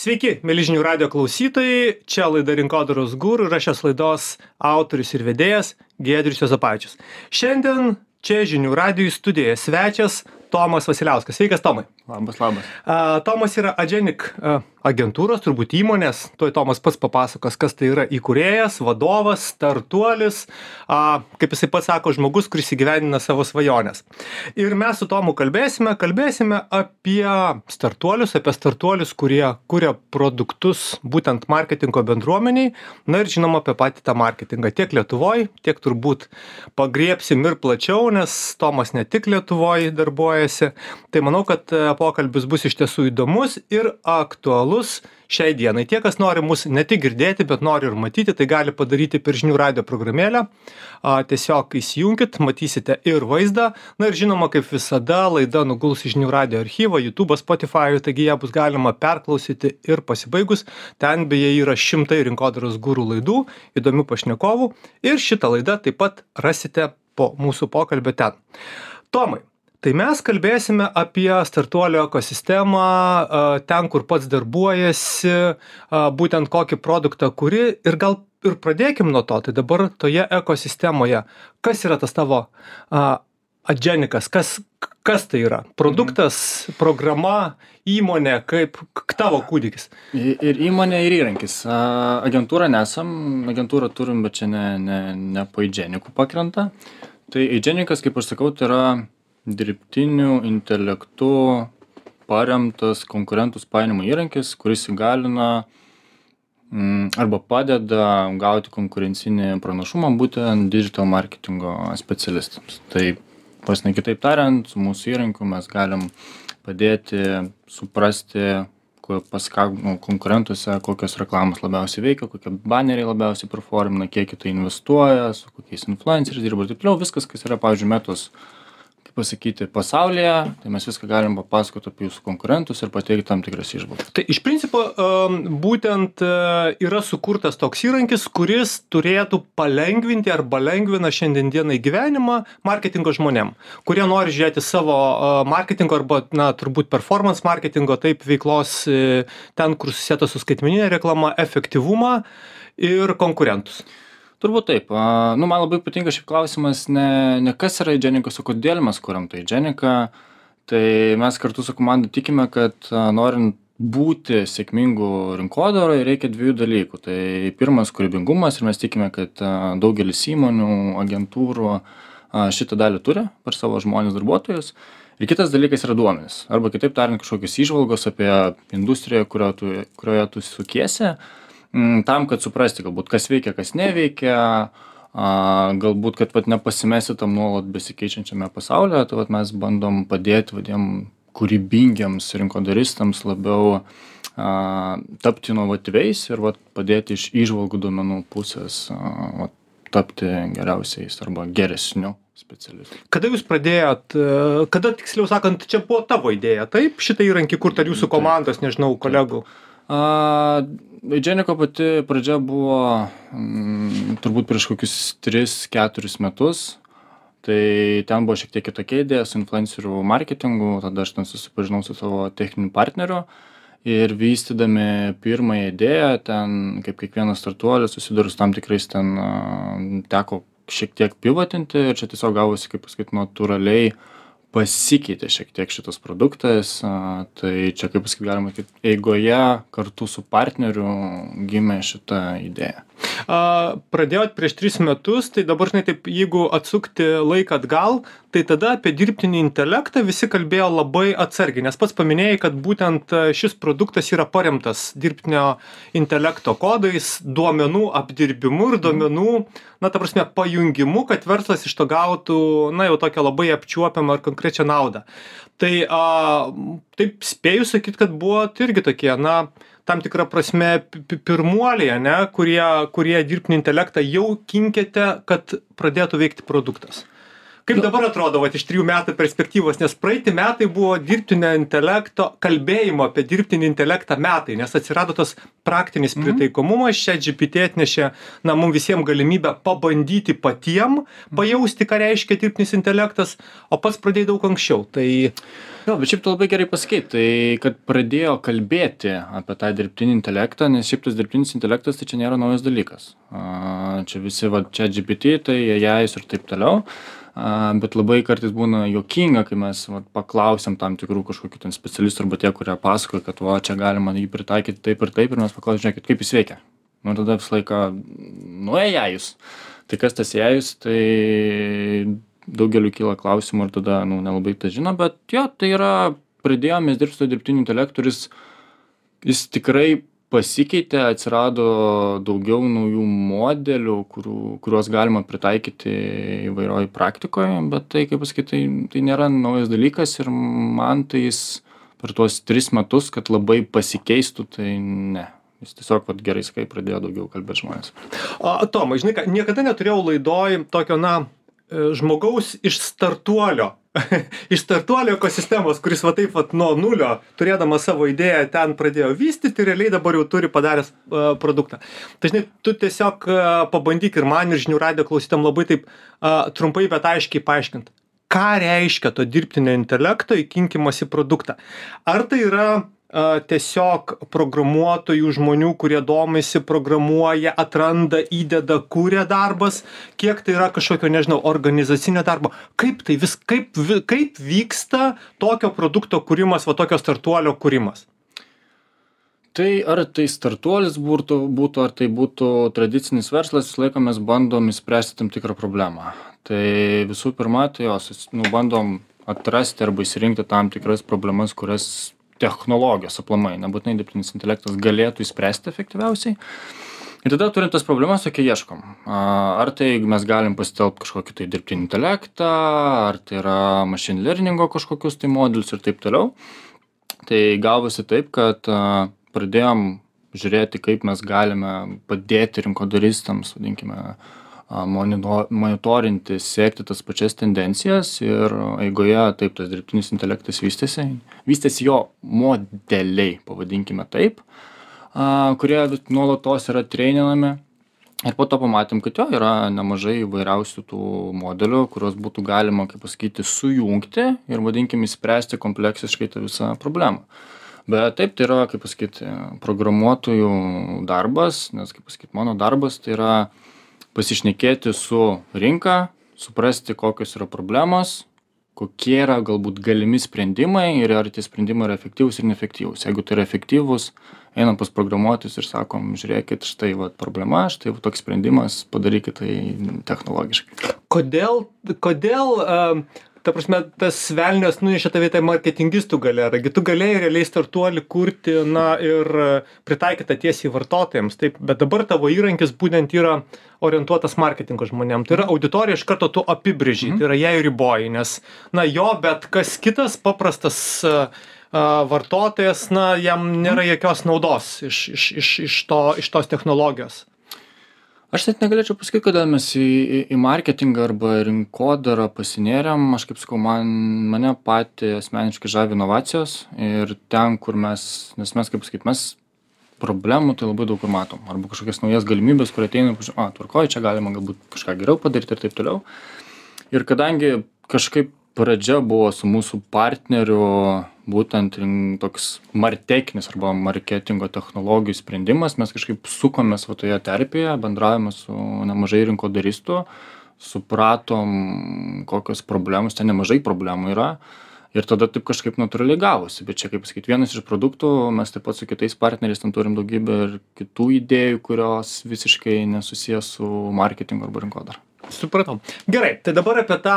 Sveiki, mieli žinių radio klausytojai, čia laida Rinkodaros guru ir aš šios laidos autorius ir vedėjas Giedrius Juozapavičius. Šiandien čia žinių radijų studijoje svečias Tomas Vasiliauskas. Sveikas, Tomai. Labas. Tomas yra Adženik agentūros, turbūt įmonės. Tuoj Tomas pats papasakos, kas tai yra įkūrėjas, vadovas, startuolis, kaip jisai pats sako, žmogus, kuris įgyvendina savo svajonės. Ir mes su Tomu kalbėsime apie startuolius, kurie kuria produktus būtent marketingo bendruomeniai, na ir žinoma apie patį tą marketingą tiek Lietuvoje, tiek turbūt pagriepsim ir plačiau, nes Tomas ne tik Lietuvoje darbuojasi. Tai manau, kad pokalbis bus iš tiesų įdomus ir aktualus šiai dienai. Tie, kas nori mus ne tik girdėti, bet nori ir matyti, tai gali padaryti per žinių radio programėlę. Tiesiog įsijunkit, matysite ir vaizdą. Na ir žinoma, kaip visada, laida nuguls į žinių radio archyvą, YouTube, Spotify, taigi ją bus galima perklausyti ir pasibaigus. Ten beje yra šimtai Rinkodaros guru laidų, įdomių pašnekovų ir šitą laidą taip pat rasite po mūsų pokalbio ten. Tomai, tai mes kalbėsime apie startuolio ekosistemą, ten, kur pats darbuojasi, būtent kokį produktą kuri ir gal ir pradėkim nuo to. Tai dabar toje ekosistemoje, kas yra tas tavo Adženikas, kas tai yra? Produktas, programa, įmonė, kaip tavo kūdikis? Ir įmonė, ir įrankis. Agentūra nesam, agentūrą turim, bet čia ne po Adženikų pakrenta. Tai Adženikas, kaip aš sakau, tai yra dirbtiniu intelektu paremtas konkurentus painimo įrankis, kuris įgalina arba padeda gauti konkurencinį pranašumą būtent digital marketingo specialistams. Tai kitaip tariant, su mūsų įrankiu mes galim padėti suprasti pas konkurentuose, kokios reklamos labiausiai veikia, kokie baneriai labiausiai performina, kiek tai investuoja, su kokiais influenceriais dirba ir taip toliau. Viskas, kas yra, pavyzdžiui, Metos pasaulyje, tai mes viską galim papasakoti apie jūsų konkurentus ir pateikti tam tikras įžvalgas. Tai iš principo būtent yra sukurtas toks įrankis, kuris turėtų palengvinti arba lengvina šiandien dienai gyvenimą marketingo žmonėm, kurie nori žiūrėti savo marketingo arba, turbūt performance marketingo, taip veiklos ten, kur susietas su skaitmeninė reklama, efektyvumą ir konkurentus. Turbūt taip. Man labai patinka šiaip klausimas ne kas yra Adženikas, o kodėl mes kuriam tai Adženiką. Tai mes kartu su komanda tikime, kad norint būti sėkmingų rinkodaroje reikia dviejų dalykų. Tai pirmas kūrybingumas ir mes tikime, kad daugelis įmonių, agentūrų šitą dalį turi per savo žmonės darbuotojus. Ir kitas dalykas yra duomenys. Arba kitaip tariant, kažkokios įžvalgos apie industriją, kurioje tu sukiesi. Tam, kad suprasti, galbūt kas veikia, kas neveikia, galbūt, kad nepasimesti tam nuolat besikeičiančiame pasaulyje, tai mes bandom padėti kūrybingiams rinkodaristams labiau tapti inovatyviais ir padėti iš įžvalgų duomenų pusės tapti geriausiais arba geresniu specialistu. Kada jūs pradėjot, kada tiksliau sakant, čia buvo tavo idėja, taip? Šitą įrankį kurti ar jūsų komandos, nežinau, kolegų? Adženiko pati pradžia buvo turbūt prieš kokius 3-4 metus. Tai ten buvo šiek tiek kitokia idėja su influencerių marketingu, tada aš ten susipažinau su savo techniniu partneriu ir vystydami pirmąją idėją, ten kaip kiekvienas startuolis susidūrus tam tikrais ten teko šiek tiek pivotinti ir čia tiesiog gavosi, kaip pasakyti, natūraliai pasikeitė šiek tiek šitas produktas, tai čia, kaip pasakyti, galima sakyti, eigoje kartu su partneriu gimė šita idėja. Pradėjot prieš 3 metus, tai dabar, taip, jeigu atsukti laiką atgal, tai tada apie dirbtinį intelektą visi kalbėjo labai atsargiai, nes pats paminėjai, kad būtent šis produktas yra paremtas dirbtinio intelekto kodais, duomenų apdirbimu ir duomenų, pajungimu, kad verslas iš to gautų, jau tokią labai apčiuopiamą ir konkrečią naudą. Tai taip spėju sakyti, kad buvo irgi tokie, tam tikrą prasme pirmuoliai, kurie dirbtinį intelektą jau kinkėte, kad pradėtų veikti produktas. Kaip dabar atrodo iš 3 metų perspektyvos, nes praeiti metai buvo dirbtinio intelekto, kalbėjimo apie dirbtinį intelektą metai, nes atsirado tas praktinis pritaikomumas, ChatGPT atnešė mums visiems galimybę pabandyti patiem, pajausti, ką reiškia dirbtinis intelektas, o pats pradėjai daug anksčiau. Tai Jo, bet šiaip tu labai gerai pasakei, tai kad pradėjo kalbėti apie tą dirbtinį intelektą, nes šiaip tas dirbtinis intelektas tai čia nėra naujas dalykas. Čia visi, va, čia GPT, tai AIs ir taip toliau. Bet labai kartais būna juokinga, kai mes paklausėm tam tikrų kažkokių ten specialistų arba tie, kurie pasakoja, kad va, čia galima jį pritaikyti taip ir mes paklausėm, žiūrėkit, kaip jis veikia. Nu, tada visą laiką, nu, AIs. Tai kas tas AIs, tai daugeliu kyla klausimų ir tada, nu, nelabai tą žino, bet jo, tai yra, pradėjome dirbti su dirbtiniu intelektu ir jis tikrai pasikeitė, atsirado daugiau naujų modelių, kuriuos galima pritaikyti įvairioj praktikoje, bet tai, kaip pasakyti, tai nėra naujas dalykas ir man tai jis per tuos 3 metus, kad labai pasikeistų, tai ne. Jis tiesiog, vat, gerai sakai, pradėjo daugiau kalbėti žmonės. Tomai, žinai ką, niekada neturėjau laidoj tokio, na, žmogaus iš startuolio ekosistemos, kuris va taip vat nuo nulio, turėdamas savo idėją, ten pradėjo vystyti, realiai dabar jau turi padaręs produktą. Tai žinai, tu tiesiog pabandyk ir man, ir žinių radijo klausytam labai taip trumpai, bet aiškiai paaiškint, ką reiškia to dirbtinio intelekto įkinkimas į produktą. Ar tai yra tiesiog programuotojų žmonių, kurie domisi, programuoja, atranda, įdeda, kūrė darbas, kiek tai yra kažkokio, nežinau, organizacinio darbo, kaip vyksta tokio produkto kūrimas, va tokio startuolio kūrimas? Tai ar tai startuolis būtų, ar tai būtų tradicinis verslas, visą laiką mes bandom įspręsti tam tikrą problemą. Tai visų pirma, tai bandom atrasti arba įsirinkti tam tikras problemas, kurias technologijos aplamai, nebūtinai dirbtinis intelektas galėtų įspręsti efektyviausiai. Ir tada turim tas problemas, tokie ieškom. Ar tai mes galim pasitelkti kažkokį tai dirbtinį intelektą, ar tai yra machine learningo kažkokius tai modelius ir taip toliau. Tai gavosi taip, kad pradėjom žiūrėti, kaip mes galime padėti rinkodaristams, vadinkime, monitorinti, sekti tas pačias tendencijas ir eigoje taip tas dirbtinis intelektas vystėsi jo modeliai, pavadinkime taip, kurie nuolatos yra treininami ir po to pamatėm, kad jo yra nemažai įvairiausių tų modelių, kuriuos būtų galima, kaip pasakyti, sujungti ir vadinkime įspręsti kompleksiškai tą visą problemą. Bet taip, tai yra, kaip pasakyti, programuotojų darbas, nes, kaip pasakyti, mano darbas tai yra pasišnekėti su rinka, suprasti, kokios yra problemos, kokie yra galbūt galimi sprendimai ir ar tie sprendimai yra efektyvūs ir neefektyvūs. Jeigu tai yra efektyvūs, einam pas programuotojus ir sakom, žiūrėkit, štai va problema, štai va toks sprendimas, padarykit tai technologiškai. Kodėl ta prasme, tas velnias nunešė tave į marketingistų galerą, tu galėjai realiai startuolį kurti, na, ir pritaikyti tiesiai vartotojams, taip, bet dabar tavo įrankis būtent yra orientuotas marketingo žmonėm. Tai yra auditorija iš karto tu apibrėži, tai yra jai riboji, nes, na, jo, bet kas kitas paprastas vartotojas, na, jam nėra jokios naudos iš tos technologijos. Aš net negalėčiau pasakyti, kodėl mes į marketingą arba rinkodarą pasinėrėm. Aš kaip sakau, mane patį asmeniškai žavi inovacijos ir ten, kur nes mes, kaip pasakyti, mes problemų tai labai daug kur matom. Arba kažkokias naujas galimybės, kur ateina, tvarkoju, čia galima galbūt kažką geriau padaryti ir taip toliau. Ir kadangi kažkaip pradžia buvo su mūsų partneriu būtent toks martekinis arba marketingo technologijų sprendimas, mes kažkaip sukomės va toje terpėje, bendravome su nemažai rinkodaristų, supratom, kokios problemos, ten nemažai problemų yra ir tada taip kažkaip natūraliai gavosi. Bet čia, kaip sakyti, vienas iš produktų, mes taip pat su kitais partneriais ten turim daugybę ir kitų idėjų, kurios visiškai nesusijęs su marketingu arba rinkodara. Supratau. Gerai, tai dabar apie tą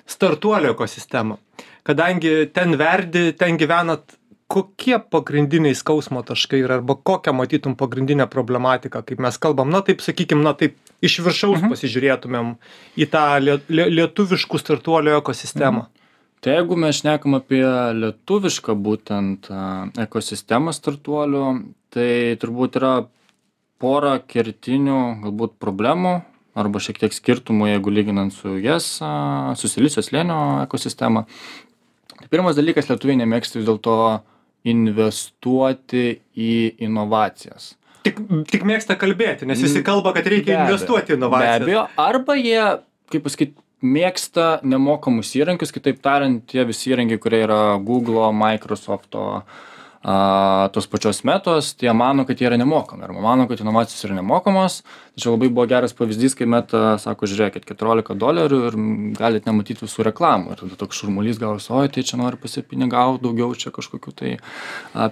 startuolio ekosistemą. Kadangi ten verdi, ten gyvenat, kokie pagrindiniai skausmo taškai yra, arba kokią matytum pagrindinę problematiką, kaip mes kalbam, na taip sakykim, na taip iš viršaus pasižiūrėtumėm į tą lietuviškų startuolio ekosistemą. Tai jeigu mes šnekam apie lietuvišką būtent ekosistemą startuolių, tai turbūt yra pora kertinių galbūt problemų arba šiek tiek skirtumų, jeigu lyginant su su Silicio slėnio ekosistema. Tai pirmas dalykas, lietuviai nemėgsta vis dėlto investuoti į inovacijas. Tik mėgsta kalbėti, nes visi kalba, kad reikia investuoti į inovacijas. Be abejo, arba jie, kaip pasakyti, mėgsta nemokamus įrankius, kitaip tariant, tie visi įrankiai, kurie yra Google'o, Microsoft'o, tos pačios Metos, tai jie mano, kad jie yra nemokami, arba mano, kad inovacijos yra nemokamos. Tačiau labai buvo geras pavyzdys, kai Meta sako, žiūrėkit, $14 ir galit nematyti visų reklamų. Ir tada toks šurmulys gavosi, oi, tai čia nori pasipinigauti daugiau, čia kažkokiu tai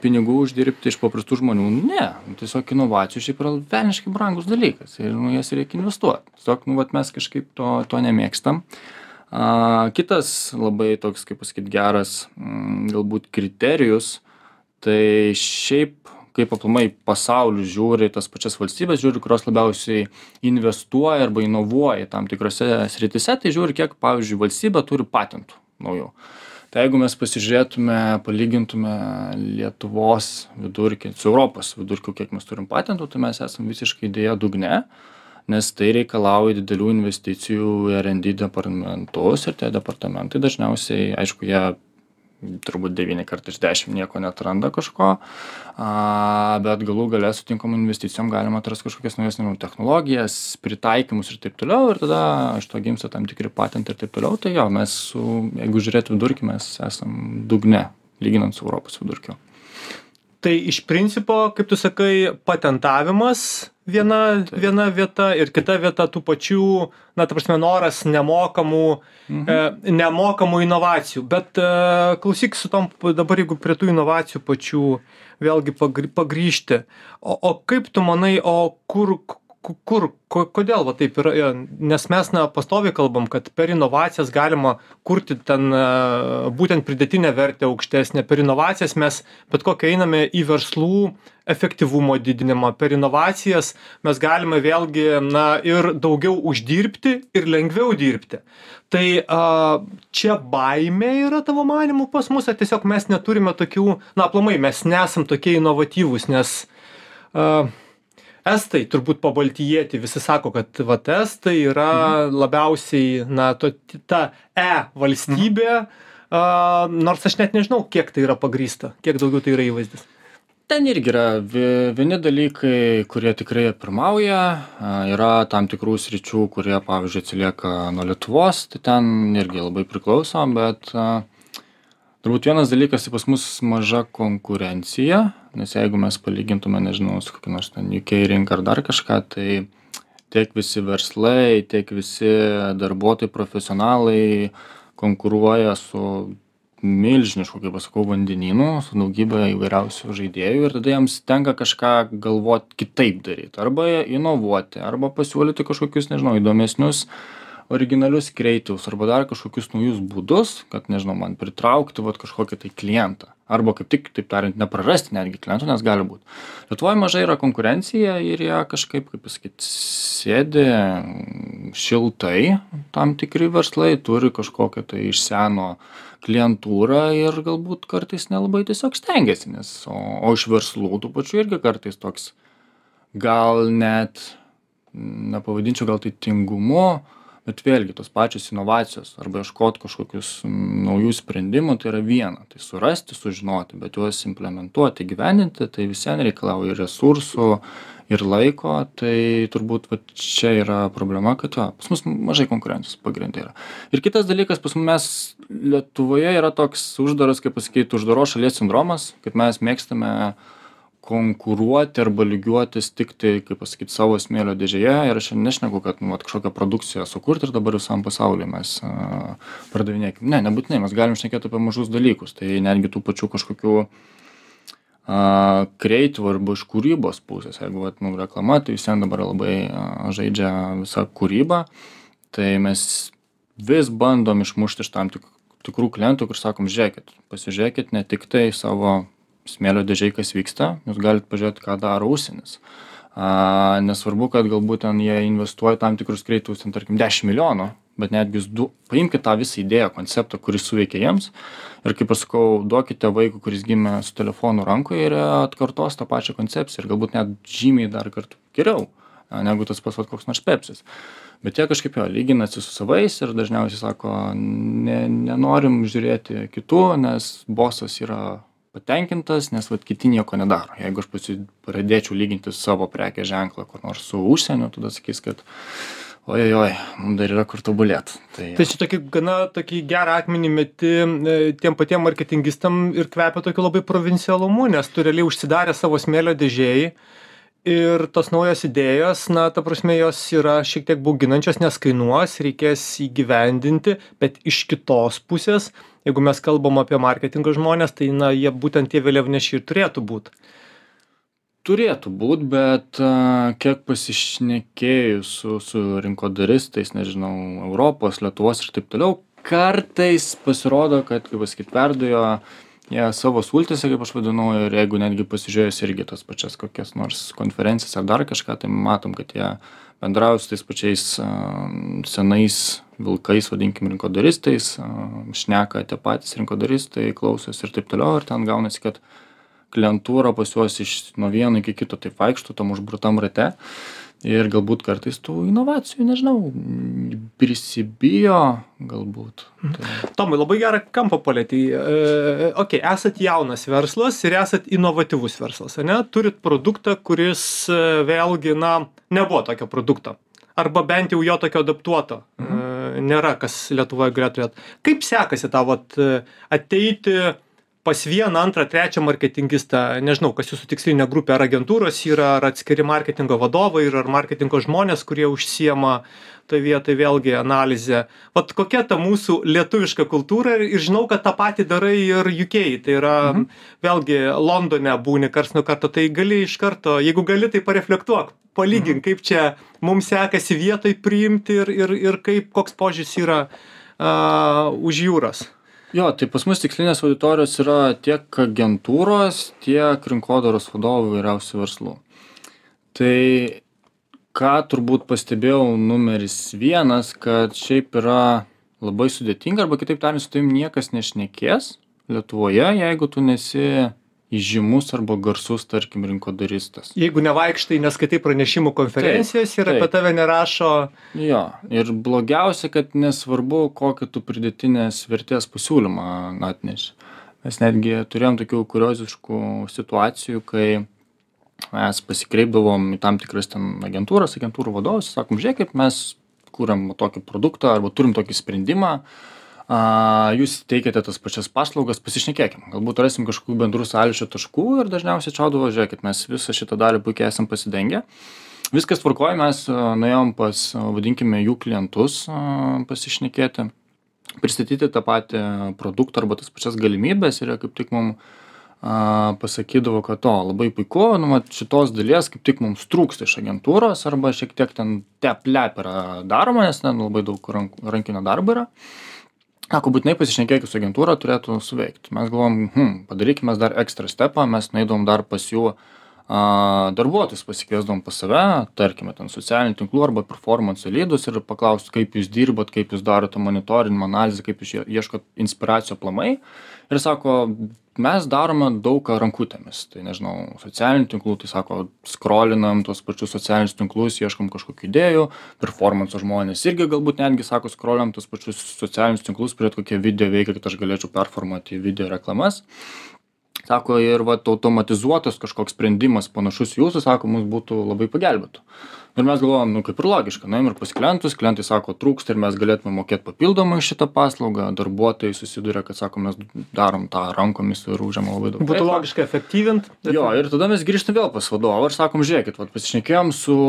pinigų uždirbti iš paprastų žmonių. Ne, tiesiog inovacijų šiaip yra velniškai brangus dalykas ir jas reikia investuoti. Tiesiog, mes kažkaip to nemėgstam. Kitas labai toks, kaip pasakyti, geras galbūt kriterijus, tai šiaip kaip aplamai pasauliu žiūri, tas pačias valstybės žiūri, kurios labiausiai investuoja arba inovuoja tam tikrose srityse, tai žiūri, kiek, pavyzdžiui, valstybė turi patentų naujų. Tai jeigu mes pasižiūrėtume, palygintume Lietuvos vidurkį su Europos vidurkiu, kiek mes turim patentų, tai mes esam visiškai dėja dugne, nes tai reikalauja didelių investicijų į R&D departamentus ir tie departamentai dažniausiai, aišku, jie turbūt 9 kartų iš 10 nieko neatranda kažko, bet galų gale su tinkamom investicijom galima atrasti kažkokias naujas technologijas, pritaikymus ir taip toliau, ir tada iš to gimsta tam tikri patentai ir taip toliau. Tai jo, mes, jeigu žiūrėt vidurkį, mes esam dugne, lyginant su Europos vidurkiu. Tai iš principo, kaip tu sakai, patentavimas viena vieta ir kita vieta tų pačių, noras nemokamų inovacijų. Bet klausyk su tom, dabar jeigu prie tų inovacijų pačių vėlgi pagrįžti, o kaip tu manai, o kodėl va taip yra, nes mes pastoviai kalbam, kad per inovacijas galima kurti ten būtent pridėtinę vertę aukštesnę, per inovacijas mes bet kokią einame į verslų efektyvumo didinimą, per inovacijas mes galime vėlgi ir daugiau uždirbti ir lengviau dirbti. Tai čia baimė yra tavo manymu pas mus, ar tiesiog mes neturime tokių, aplamai mes nesam tokie inovatyvūs, nes Estai turbūt pabaltijieti visi sako, kad estai yra labiausiai, ta valstybė, nors aš net nežinau, kiek tai yra pagrįsta, kiek daugiau tai yra įvaizdis. Ten irgi yra vieni dalykai, kurie tikrai pirmauja, yra tam tikrų sričių, kurie, pavyzdžiui, atsilieka nuo Lietuvos, tai ten irgi labai priklauso, bet turbūt vienas dalykas, tai pas mus maža konkurencija, nes jeigu mes palygintume, nežinau, su kokia nors ten UK rinka ar dar kažką, tai tiek visi verslai, tiek visi darbuotojai, profesionalai konkuruoja su milžinišku, kaip pasakau, vandenynu, su daugybė įvairiausių žaidėjų ir tada jiems tenka kažką galvoti kitaip daryti, arba inovuoti, arba pasiūlyti kažkokius, nežinau, įdomesnius originalius kreatyvus arba dar kažkokius naujus būdus, kad, nežinau, man pritraukti kažkokį tai klientą. Arba kaip tik, taip tariant, neprarasti netgi klientų, nes gali būti. Lietuvoje mažai yra konkurencija ir jie kažkaip, kaip pasakyti, sėdi šiltai, tam tikri verslai turi kažkokią tai iš seno klientūrą ir galbūt kartais nelabai tiesiog stengiasi, nes, o iš verslų tų pačių irgi kartais toks, gal net, nepavadinčiau gal tai tingumu, bet vėlgi tos pačios inovacijos arba ieškoti kažkokius naujų sprendimų, tai yra viena. Tai surasti, sužinoti, bet juos implementuoti, gyveninti, tai visien reikalauja ir resursų, ir laiko. Tai turbūt čia yra problema, kad pas mus mažai konkurencijos pagrindai yra. Ir kitas dalykas, pas mes Lietuvoje yra toks uždaras, kaip pasakyti, uždaros šalies sindromas, kad mes mėgstame konkuruoti arba lygiuotis tik tai, kaip pasakyti, savo smėlio dėžėje ir aš nešneku, kad kažkokią produkciją sukurti ir dabar visam pasaulyje mes pardavinėkim. Ne, nebūtinai, mes galim šnekėti apie mažus dalykus, tai netgi tų pačių kažkokių kreatyvų arba iš kūrybos pusės, jeigu reklama, tai visiems dabar labai žaidžia visą kūrybą, tai mes vis bandom išmušti iš tam tikrų klientų, kur sakom, pasižiūrėkit ne tik tai savo smėlio dėžiai, kas vyksta, jūs galite pažiūrėti, ką daro užsienis. Nesvarbu, kad galbūt ten jie investuoja tam tikrus kreatyvus, tarkim, 10 milijonų, bet netgi jūs paimkite tą visą idėją, konceptą, kuris suveikia jiems ir, kaip aš sakau, duokite vaikui, kuris gimė su telefonu rankoje ir atkartos tą pačią koncepciją ir galbūt net žymiai dar kartų geriau, negu tas pats koks nors Pepsis. Bet jie kažkaip lyginasi su savais ir dažniausiai sako, nenorim žiūrėti kitų, nes bosas yra patenkintas, nes kiti nieko nedaro. Jeigu aš pradėčiau lyginti savo prekės ženklą kur nors su užsieniu, tada sakys, kad Ojojoj, mums dar yra kur tobulėt. Tai čia tokį gerą akmenį meti tiem patiem marketingistam ir kvepia tokiu labai provincialumu, nes tu realiai užsidarė savo smėlio dėžėjai ir tos naujos idėjos, na, ta prasme, jos yra šiek tiek bauginančios, nes kainuos, reikės įgyvendinti, bet iš kitos pusės, jeigu mes kalbam apie marketingo žmonės, tai, na, jie būtent tie vėliavnešiai ir turėtų būt. Turėtų būt, bet kiek pasišnekėjus su rinkodaristais, nežinau, Europos, Lietuvos ir taip toliau, kartais pasirodo, kad, kaip pasakyt, perdujo jie savo sultėse, kaip aš vadinau, ir jeigu netgi pasižiūrėjus irgi tas pačias kokias nors konferencijas ar dar kažką, tai matom, kad jie bendrauja su tais pačiais senais vilkais, vadinkim, rinkodaristais, šneka tie patys rinkodaristai, klausosi ir taip toliau, ir ten gaunasi, kad klientūra pas juos nuo vieno iki kito taip vaikšto tam užburtam rate ir galbūt kartais tų inovacijų, nežinau, prisibijo galbūt. Tomai, labai gerą kampą palietei. Esat jaunas verslas ir esat inovatyvus verslas, ane? Turit produktą, kuris vėlgi, na, nebuvo tokio produkto. Arba bent jau jo tokio adaptuoto. Nėra, kas Lietuvoje galėtų turėti. Kaip sekasi tau ateiti pas vieną, antrą, trečią marketingistą, nežinau, kas jūsų tikslinė grupė, ar agentūros yra, ar atskiri marketingo vadovai, ar marketingo žmonės, kurie užsiema toje vietoje vėlgi analizę. Vat kokia ta mūsų lietuviška kultūra ir žinau, kad tą patį darai ir UK, tai yra vėlgi Londone būni karts nuo karto, tai gali iš karto, jeigu gali, tai pareflektuok, palygink, kaip čia mums sekasi vietoj priimti ir kaip, koks požiūris yra už jūros. Jo, tai pas mus tikslinės auditorijos yra tiek agentūros, tiek rinkodaros vadovų įvairiausių verslų. Tai ką turbūt pastebėjau numeris vienas, kad šiaip yra labai sudėtinga, arba kitaip tariant, su tavim niekas nešnekės Lietuvoje, jeigu tu nesi įžymus arba garsus, tarkim, rinkodaristas. Jeigu nevaikštai, neskaitai pranešimų konferencijas ir apie tave nerašo. Jo, ir blogiausia, kad nesvarbu, kokį tu pridėtinės vertės pasiūlymą atneši. Mes netgi turėjom tokių kurioziškų situacijų, kai mes pasikreipdavom į tam tikras ten agentūrų vadovus, sakom, žiūrėkit, mes kūrėm tokį produktą arba turim tokį sprendimą, jūs teikiate tas pačias paslaugas, pasišnekėkim. Galbūt rasim kažkokių bendrų sąlyčio taškų ir dažniausiai čiaudavo, žiūrėkit, mes visą šitą dalį puikiai esam pasidengę. Viskas tvarkoja, mes nuėjom pas, vadinkime, jų klientus pasišnekėti, pristatyti tą patį produktą arba tas pačias galimybės ir jie kaip tik mums pasakydavo, kad labai puiku, šitos dalies kaip tik mums trūksta iš agentūros arba šiek tiek ten tep-lep yra daroma, nes ten labai daug rankinio darbo yra. Sako, būtinai pasišnekėkit su agentūra, turėtų suveikti. Mes galvom, padarykime dar ekstra stepą, mes nueidavom dar pas jų darbuotojus, pasikviesdavom pas save, tarkime, ten socialinių tinklų arba performance lydus ir paklaustų, kaip jūs dirbat, kaip jūs darote monitorinimą, analizę, kaip jūs ieškot inspiracijų aplamai. Ir sako, mes darome daug ką rankutėmis. Tai nežinau, socialinių tinklų, tai sako, skrolinam tos pačius socialinius tinklus, ieškom kažkokių idėjų, performance žmonės irgi galbūt netgi, sako, skrolinam tos pačius socialinius tinklus, prie kokie video veikia, kad aš galėčiau performuoti video reklamas. Sako, ir automatizuotas kažkoks sprendimas panašus jūsų, sako, mums būtų labai pagelbėtų. Ir mes galvojom, kaip ir logiška, nuėjom ir pas klientus, klientai sako, trūksta ir mes galėtume mokėti papildomai šitą paslaugą, darbuotojai susiduria, kad sako, mes darom tą rankomis ir užėmą labai daug. Būtų logiška efektyvint. Jo, ir tada mes grįžtam vėl pas vadovą ir sakom, žiūrėkit, pasišnekėjom su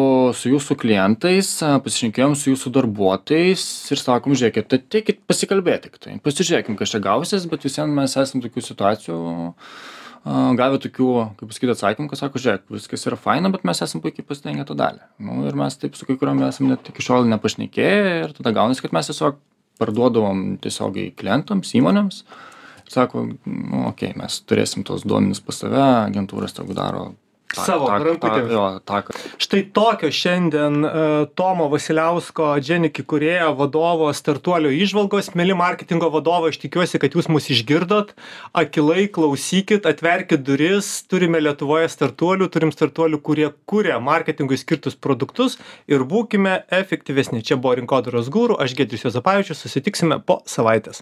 jūsų klientais, pasišnekėjom su jūsų darbuotojais ir sakom, žiūrėkit, tai teikit pasikalbėti, tai pasižiūrėkim, kas čia gausis, bet visiems mes esam tokių situacijų gavę tokių, kaip pasakyti, atsakymų, kad sako, žiūrėk, viskas yra faina, bet mes esam puikiai pasidengę tą dalį. Ir mes taip su kai kuriuom esam net iki šiol nepašnekėję ir tada gaunasi, kad mes tiesiog parduodavom tiesiogiai klientams, įmonėms. Ir sako, mes turėsim tos duomenis pas save, agentūras tegu daro savo rankutėmis. Štai tokio šiandien Tomo Vasiliausko, Adženik įkūrėjo, vadovo, startuolio įžvalgos. Mieli marketingo vadovai, aš tikiuosi, kad jūs mus išgirdot. Akilai klausykit, atverkit duris. Turime Lietuvoje startuolių, turim startuolių, kurie kuria marketingui skirtus produktus ir būkime efektyvesni. Čia buvo Rinkodaros guru, aš Giedrius Juozapavičius, susitiksime po savaitės.